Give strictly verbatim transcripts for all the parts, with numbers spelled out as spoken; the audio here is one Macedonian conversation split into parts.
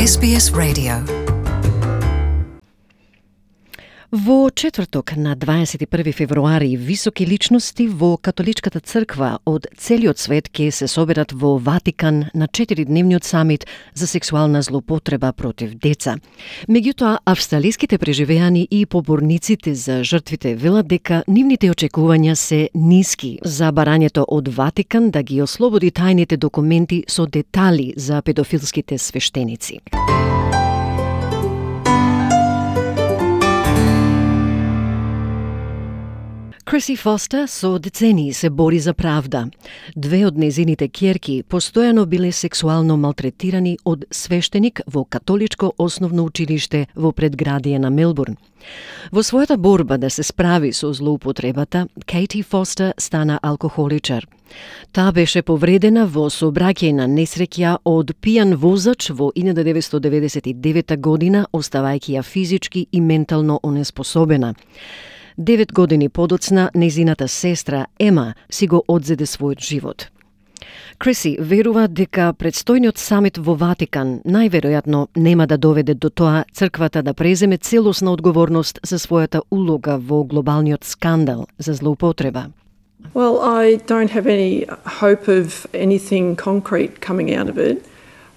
Ес Би Ес Radio. Во четврток на дваесет и први февруари високи личности во католичката црква од целиот свет ќе се соберат во Ватикан на четиридневниот самит за сексуална злоупотреба против деца. Меѓутоа, австралиските преживеани и поборниците за жртвите велат дека нивните очекувања се ниски за барањето од Ватикан да ги ослободи тајните документи со детали за педофилските свештеници. Криси Фостер со децении се бори за правда. Две од незините ќерки постојано биле сексуално малтретирани од свештеник во католичко основно училиште во предградие на Мелбурн. Во својата борба да се справи со злоупотребата, Кейти Фостер стана алкохоличар. Таа беше повредена во сообраќајна несреќа од пијан возач во илјада деветстотини деветдесет и девета година, оставајќи ја физички и ментално онеспособена. Девет години подоцна, незината сестра Ема си го одзеде својот живот. Криси верува дека предстојниот самит во Ватикан најверојатно нема да доведе до тоа црквата да преземе целосна одговорност за својата улога во глобалниот скандал за злоупотреба. Well, I don't have any hope of anything concrete coming out of it.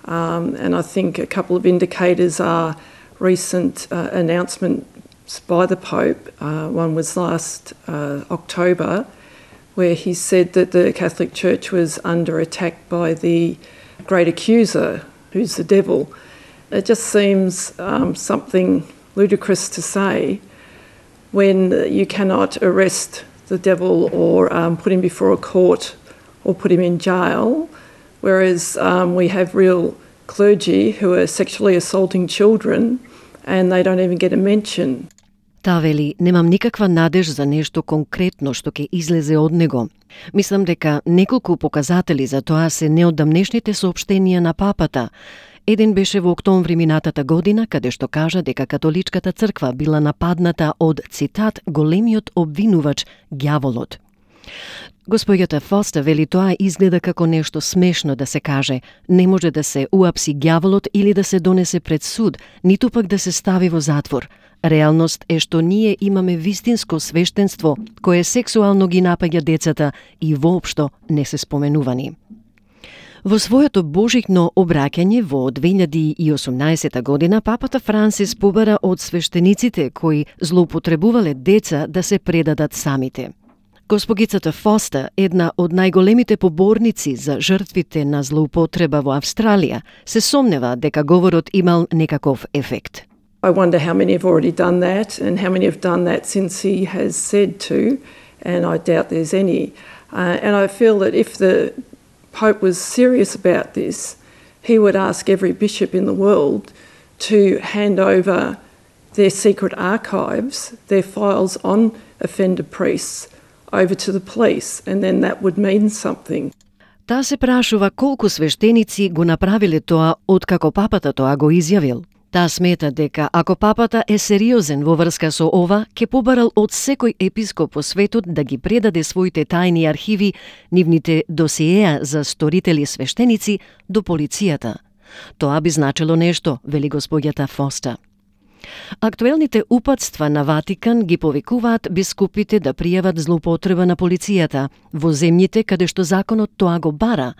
Um, and I think a couple of indicators are recent uh, announcement by the Pope. Uh, one was last uh, October, where he said that the Catholic Church was under attack by the great accuser, who's the devil. It just seems um, something ludicrous to say when you cannot arrest the devil or um, put him before a court or put him in jail, whereas um, we have real clergy who are sexually assaulting children and they don't even get a mention. Таа вели, немам никаква надеж за нешто конкретно што ќе излезе од него. Мислам дека неколку показатели за тоа се неодамнешните соопштенија на папата. Еден беше во октомври минатата година, каде што кажа дека католичката црква била нападната од, цитат, големиот обвинувач, ѓаволот. Господјата Фостер вели тоа изгледа како нешто смешно да се каже. Не може да се уапси ѓаволот или да се донесе пред суд, ниту пак да се стави во затвор. Реалност е што ние имаме вистинско свештенство кое сексуално ги напаѓа децата и воопшто не се споменувани. Во своето божикно обраќање во две илјади и осумнаесета година, папата Франсис побара од свештениците кои злоупотребувале деца да се предадат самите. Госпогицата Фостер, една од најголемите поборници за жртвите на злоупотреба во Австралија, се сомнева дека говорот имал некаков ефект. I wonder how many have already done that and how many have done that since he has said to, and I doubt there's any. Uh, and I feel that if the Pope was serious about this, he would ask every bishop in the world to hand over their secret archives, their files on offender priests, over to the police, and then that would mean something. Таа се прашува колку свештеници го направиле тоа откако папата тоа го изјавил. Таа смета дека ако папата е сериозен во врска со ова, ќе побарал од секој епископ по светот да ги предаде своите тајни архиви, нивните досиеа за сторители свештеници до полицијата. Тоа би значило нешто, вели господјата Фостер. Актуелните упатства на Ватикан ги повикуваат бискупите да пријават злоупотреба на полицијата во земјите каде што законот тоа го бара,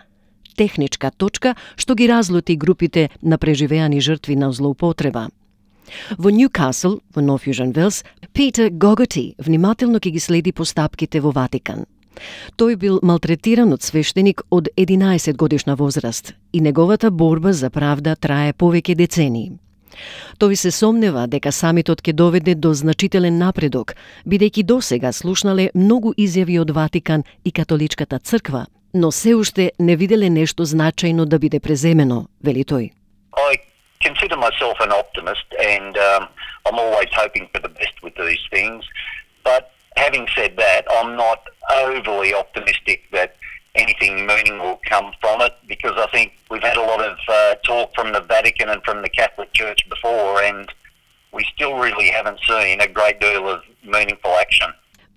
техничка точка што ги разлути групите на преживеани жртви на злоупотреба. Во Ньюкасл, во Нов Јужен Велс, Питер Гоготи внимателно ќе ги следи постапките во Ватикан. Тој бил малтретиран од свештеник од единаесет годишна возраст и неговата борба за правда трае повеќе децении. Тој се сомнева дека самитот ќе доведе до значителен напредок, бидејќи досега слушнале многу изјави од Ватикан и католичката црква, но се уште не виделе нешто значајно да биде преземено, вели тој. I consider myself an optimist and um, I'm always hoping for the best with these things. But having said that, I'm not overly optimistic that anything meaning will come from it because I think we've had a lot of uh, talk from the Vatican and from the Catholic Church before and we still really haven't seen a great deal of meaningful action.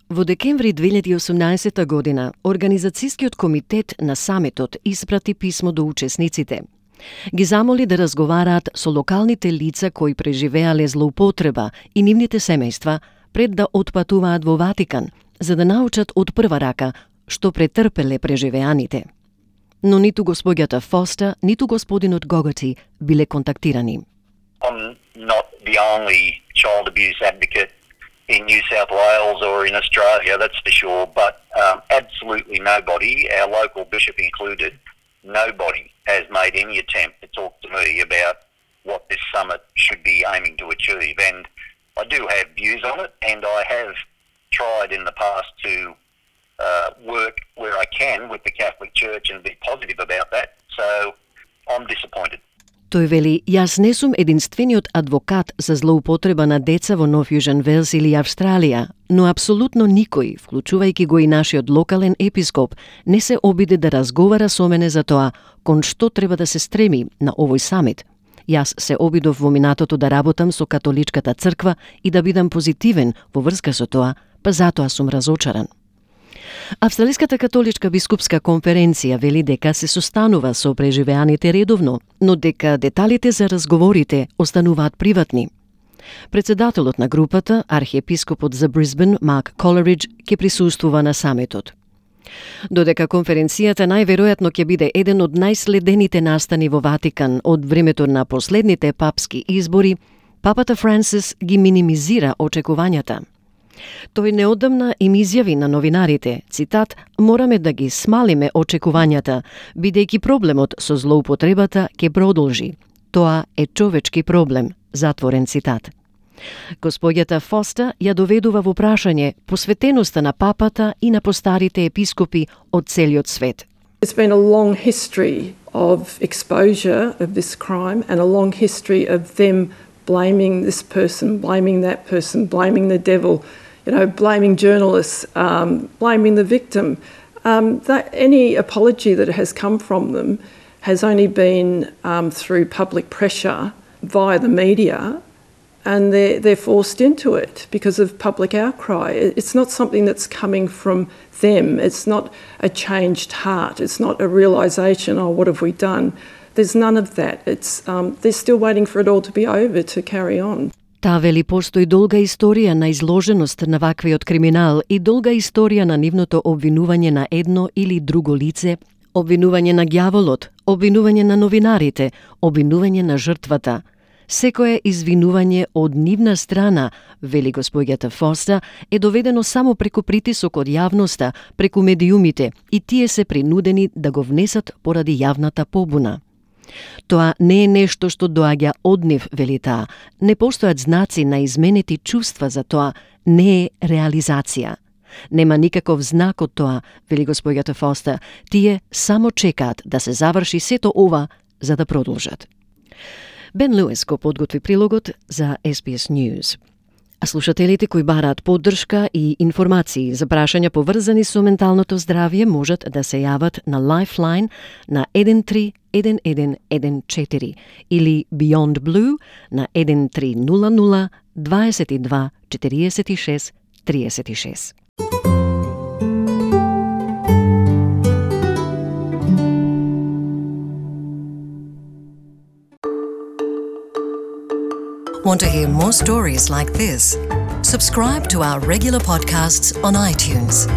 Во декември две илјади и осумнаесета година, Организацијскиот комитет на самитот испрати писмо до учесниците. Ги замоли да разговараат со локалните лица кои преживеале злоупотреба и нивните семејства пред да отпатуваат во Ватикан, за да научат од прва рака што претрпеле преживеаните. Но ниту господјата Фостер, ниту господинот Gogarty биле контактирани. I'm not the only child abuse advocate in New South Wales or in Australia, that's for sure, but um, absolutely nobody, our local bishop included, nobody has made any attempt to talk to me about what this summit should be aiming to achieve. And I do have views on it, and I have tried in the past to uh, work where I can with the Catholic Church and be positive about that. So I'm disappointed. Тој вели, јас не сум единствениот адвокат за злоупотреба на деца во Нов Јужен Велс или Австралија, но апсолутно никој, вклучувајќи го и нашиот локален епископ, не се обиде да разговара со мене за тоа кон што треба да се стреми на овој самит. Јас се обидов во минатото да работам со католичката црква и да бидам позитивен во врска со тоа, па затоа сум разочаран. Австралиската католичка бискупска конференција вели дека се состанува со преживеаните редовно, но дека деталите за разговорите остануваат приватни. Председателот на групата, архиепископот за Брисбен, Марк Колеридж, ќе присуствува на самитот. Додека конференцијата најверојатно ќе биде еден од најследените настани во Ватикан од времето на последните папски избори, папата Франсис ги минимизира очекувањата. Тој неодамна им изјави на новинарите, цитат, "Мораме да ги смалиме очекувањата, бидејќи проблемот со злоупотребата ќе продолжи. Тоа е човечки проблем", затворен цитат. Господјата Фостер ја доведува во прашање посветеноста на папата и на постарите епископи од целиот свет. There's been a long history of exposure of this crime and a long history of them blaming this person, blaming that person, blaming the devil, you know, blaming journalists, um, blaming the victim. Um, that any apology that has come from them has only been um, through public pressure via the media, and they're, they're forced into it because of public outcry. It's not something that's coming from them. It's not a changed heart. It's not a realisation, oh, what have we done? There's none of that. It's um, they're still waiting for it all to be over to carry on. Таа вели постои долга историја на изложеност на ваквиот криминал и долга историја на нивното обвинување на едно или друго лице, обвинување на ѓаволот, обвинување на новинарите, обвинување на жртвата. Секое извинување од нивна страна, вели господјата Фостер, е доведено само преку притисок од јавноста, преку медиумите, и тие се принудени да го внесат поради јавната побуна. Тоа не е нешто што доаѓа од нив, вели таа. Не постојат знаци на изменети чувства за тоа, не е реализација. Нема никаков знак од тоа, вели господјата Фостер. Тие само чекаат да се заврши сето ова за да продолжат. Бен Луис го подготви прилогот за Ес Би Ес News. А слушателите кои бараат поддршка и информации за прашања поврзани со менталното здравје можат да се јават на Lifeline на еден три еден еден еден четири или Beyond Blue на еден три нула нула дваесет и два четириесет и шест триесет и шест. Want to hear more stories like this? Subscribe to our regular podcasts on iTunes.